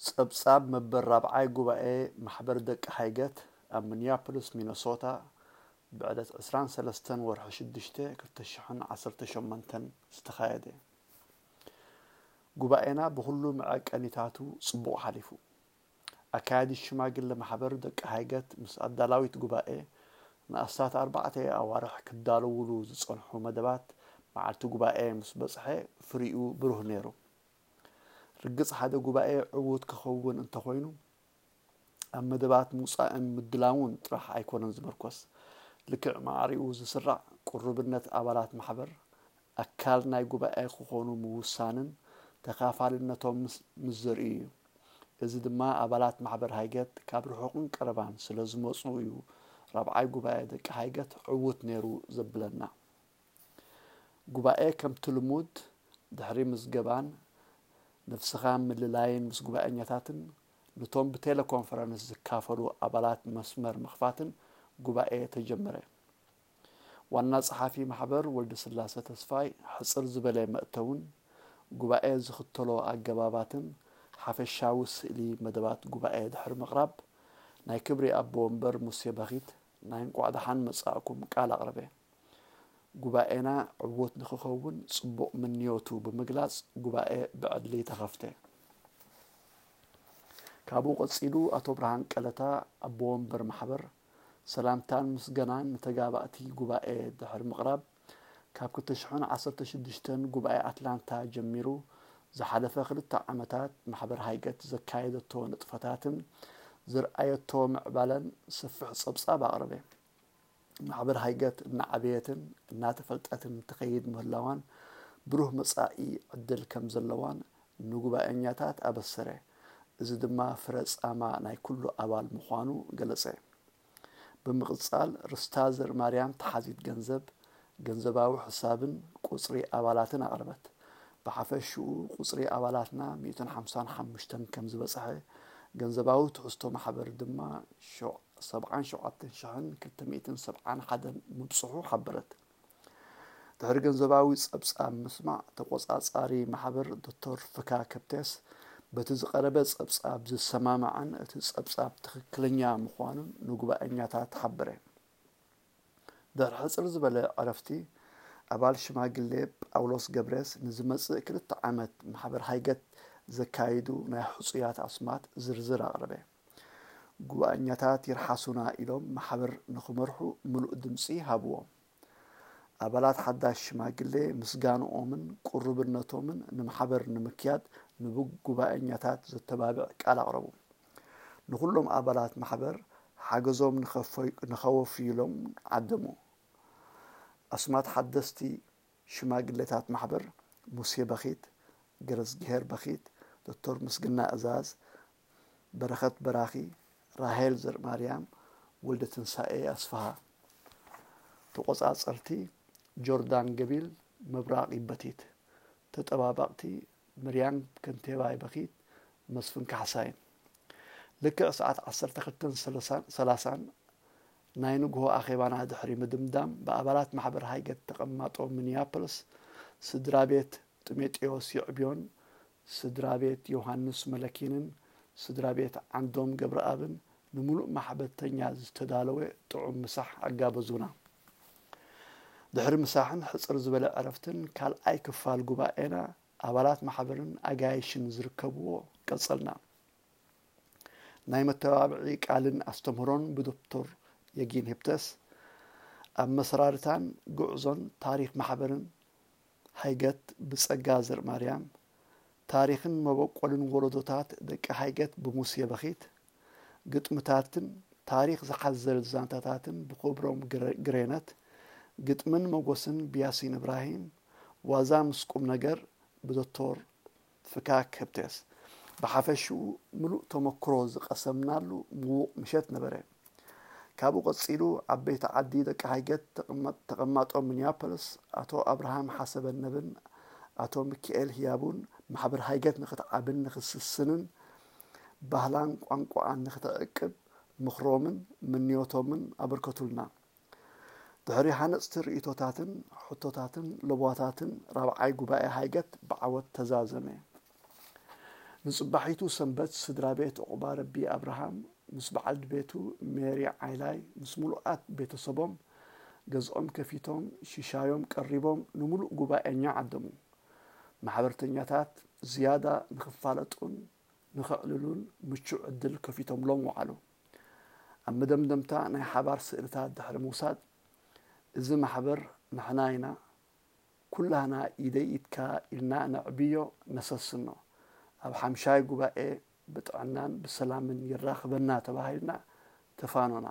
ጸብጻብ መበል ራብዓይ ጉባኤ ማሕበር ደቂ ሃይገት ኣብ ሚኒያፖሊስ ሚነሶታ ብዕለት ዕስራን ሰለስተን ወርሒ ሽዱሽተ ክልተ ሽሕን ዓሰርተ ሸሞንተን ዝተኻየደ። ጉባኤና ብኹሉ መዐቀኒታቱ ጽቡቕ ሓሊፉ። ኣካያዲ ሽማግለ ማሕበር ደቂ ሃይገት ምስ ኣዳላዊት ጉባኤ ንኣስታት ኣርባዕተ ኣዋርሕ ክዳለውሉ ዝጸንሑ መደባት መዓልቲ ጉባኤ ምስ በጽሐ ፍሪኡ ብሩህ ነይሩ። ርግጽ ሓደ ጉባኤ ዕዉት ክኸውን እንተኾይኑ ኣብ መደባት ምውጻእን ምድላውን ጥራሕ ኣይኮነን ዝምርኮስ። ልክዕ ማዕሪኡ ዝስራዕ ቅሩብነት ኣባላት ማሕበር ኣካል ናይ ጉባኤ ክኾኑ ምውሳንን ተኻፋልነቶም ምስ ምስ ዘርእዩ እዩ። እዚ ድማ ኣባላት ማሕበር ሃይገት ካብ ርሑቕን ቀረባን ስለ ዝመጹ እዩ ራብዓይ ጉባኤ ደቂ ሃይገት ዕዉት ነይሩ ዘብለና። ጉባኤ ከምቲ ልሙድ ድሕሪ ምዝገባን ነፍስኻ ምልላይን ምስ ጉባኤኛታትን ነቶም ብቴሌኮንፈረንስ ዝካፈሉ ኣባላት መስመር ምኽፋትን ጉባኤ ተጀመረ። ዋና ጸሓፊ ማሕበር ወልደስላሰ ተስፋይ ሕጽር ዝበለ መእተውን ጉባኤ ዝኽተሎ ኣገባባትን ሓፈሻዊ ስእሊ መደባት ጉባኤ ድሕሪ ምቕራብ ናይ ክብሪ ኣቦ ወንበር ሙሴ በኺት ናይ እንቋዕ ደሓን መጻእኩም ቃል ኣቕረበ። ጉባኤና ዕዉት ንኽኸውን ጽቡቕ ምንዮቱ ብምግላጽ ጉባኤ ብዕሊ ተኸፍተ። ካብኡ ቀጺሉ ኣቶ ብርሃን ቀለታ ኣቦ ወንበር ማሕበር ሰላምታን ምስገናን ንተጋባእቲ ጉባኤ ድሕሪ ምቕራብ ካብ ክልተ ሽሕን ዓሰርተ ሽዱሽተን ጉባኤ ኣትላንታ ጀሚሩ ዝሓለፈ ክልተ ዓመታት ማሕበር ሃይገት ዘካየደቶ ንጥፈታትን ዝርኣየቶ ምዕባለን ሰፊሕ ጸብጻብ ኣቕረበ። ማሕበር ሃይገት እናዓበየትን እናተፈልጠትን ትኸይድ ምህላዋን ብሩህ መጻኢ ዕድል ከም ዘለዋን ንጉባኤኛታት ኣበሰረ። እዚ ድማ ፍረ ጻማ ናይ ኩሉ ኣባል ምዃኑ ገለጸ። ብምቕጻል ርስታ ዘርማርያም ተሓዚት ገንዘብ፣ ገንዘባዊ ሕሳብን ቁጽሪ ኣባላትን ኣቕረበት። ብሓፈሽኡ ቁጽሪ ኣባላትና ሚእትን ሓምሳን ሓሙሽተን ከም ዝበጽሐ፣ ገንዘባዊ ትሕዝቶ ማሕበር ድማ ሸው- ሰብዓን ሸውዓተን ሽሕን ክልተ ሚእትን ሰብዓን ሓደን ምብጽሑ ሓበረት። ድሕሪ ገንዘባዊ ጸብጻብ ምስማዕ ተቆጻጻሪ ማሕበር ዶክተር ፍካ ከብቴስ በቲ ዝቐረበ ጸብጻብ ዝሰማማዕን እቲ ጸብጻብ ትኽክለኛ ምዃኑን ንጉባኤኛታት ሓበረ። ድሕሪ ሕጽር ዝበለ ዕረፍቲ ኣባል ሽማግሌ ጳውሎስ ገብሬስ ንዝመጽእ ክልተ ዓመት ማሕበር ሃይገት ዘካይዱ ናይ ሕጹያት ኣስማት ዝርዝር ኣቕረበ። ጉባኤኛታት ይርሓሱና ኢሎም ማሕበር ንኽመርሑ ምሉእ ድምጺ ሃብዎም። ኣባላት ሓዳሽ ሽማግሌ ምስጋንኦምን ቅሩብነቶምን ንማሕበር ንምክያድ ንጉባኤኛታት ዘተባብዕ ቃል ኣቕረቡ። ንኹሎም ኣባላት ማሕበር ሓገዞም ንኸፈይ- ንኸወፍዩሎም ዓደሙ። ኣስማት ሓደስቲ ሽማግሌታት ማሕበር ሙሴ በኺት፣ ገረዝግሄር በኺት፣ ዶክተር ምስግና እዛዝ፣ በረኸት በራኺ፣ ራሄል ዘርማርያም፣ ወልደ ትንሳኤ ኣስፍሃ። ተቆጻጸርቲ ጆርዳን ገቢል፣ ምብራቕ ይበቲት። ተጠባባቕቲ ምርያም ከንቴባይ በኺት፣ መስፍን ካሕሳይን። ልክዕ ሰዓት ዓሰርተ ክልተን ሰላሳን ናይ ንግሆ ኣኼባና ድሕሪ ምድምዳም ብኣባላት ማሕበር ሃይገት ተቐማጦ ሚኒያፖሊስ ስድራ ቤት ጢሞቴዎስ ይዕብዮን ስድራ ቤት ዮሃንስ መለኪንን ስድራ ቤት ዓንዶም ገብረኣብን ንምሉእ ማሕበርተኛ ዝተዳለወ ጥዑም ምሳሕ ኣጋበዙና። ድሕሪ ምሳሕን ሕጽር ዝበለ ዕረፍትን ካልኣይ ክፋል ጉባኤና ኣባላት ማሕበርን ኣጋይሽን ዝርከብዎ ቀጸልና። ናይ መተባብዒ ቃልን ኣስተምህሮን ብዶክተር የጊን ሂፕተስ ኣብ መሰራርታን ጉዕዞን ታሪኽ ማሕበርን ሃይገት ብጸጋ ዘርማርያም፣ ታሪኽን መበቆልን ወለዶታት ደቂ ሃይገት ብሙሴ በኺት፣ ግጥምታትን ታሪኽ ዝሓዘል ዛንታታትን ብክብሮም ግረ- ግሬነት፣ ግጥምን መጎስን ብያሲን እብራሂም፣ ዋዛ ምስ ቁም ነገር ብዶክተር ፍካክ ህብቴስ። ብሓፈሽኡ ምሉእ ተመክሮ ዝቐሰምናሉ ምዉቕ ምሸት ነበረ። ካብኡ ቀጺሉ ዓበይቲ ዓዲ ደቂ ሃይገት ተቐማ- ተቐማጦ ሚኒያፖሊስ ኣቶ ኣብርሃም ሓሰበነብን ኣቶ ሚኪኤል ህያቡን ማሕበር ሃይገት ንኽትዓብን ንኽትስስንን ባህላን ቋንቋኣን ንኽተዕቅብ ምኽሮምን ምንዮቶምን ኣበርከቱልና። ድሕሪ ሃነጽቲ ርእይቶታትን ሕቶታትን ለበዋታትን ራብዓይ ጉባኤ ሃይገት ብዓወት ተዛዘመ። ንጽባሒቱ ሰንበት ስድራ ቤት ዑቕባረቢ ኣብርሃም ምስ በዓል ቤቱ ሜሪ ዓይላይ ምስ ምሉኣት ቤተሰቦም ገዝኦም ከፊቶም ሽሻዮም ቀሪቦም ንምሉእ ጉባኤኛ ዓደሙ። ማሕበርተኛታት ዝያዳ ንኽፋለጡን ንኽዕልሉን ምቹእ ዕድል ከፊቶምሎም ወዓሉ። ኣብ መደምደምታ ናይ ሓባር ስእልታት ድሕሪ ምውሳድ፣ እዚ ማሕበር ንሕና ኢና፣ ኩላህና ኢደይ ኢድካ ኢልና ነዕብዮ፣ ነሰስኖ። ኣብ ሓምሻይ ጉባኤ ብጥዕናን ብሰላምን ይራኽበና ተባሂልና ተፋኖና።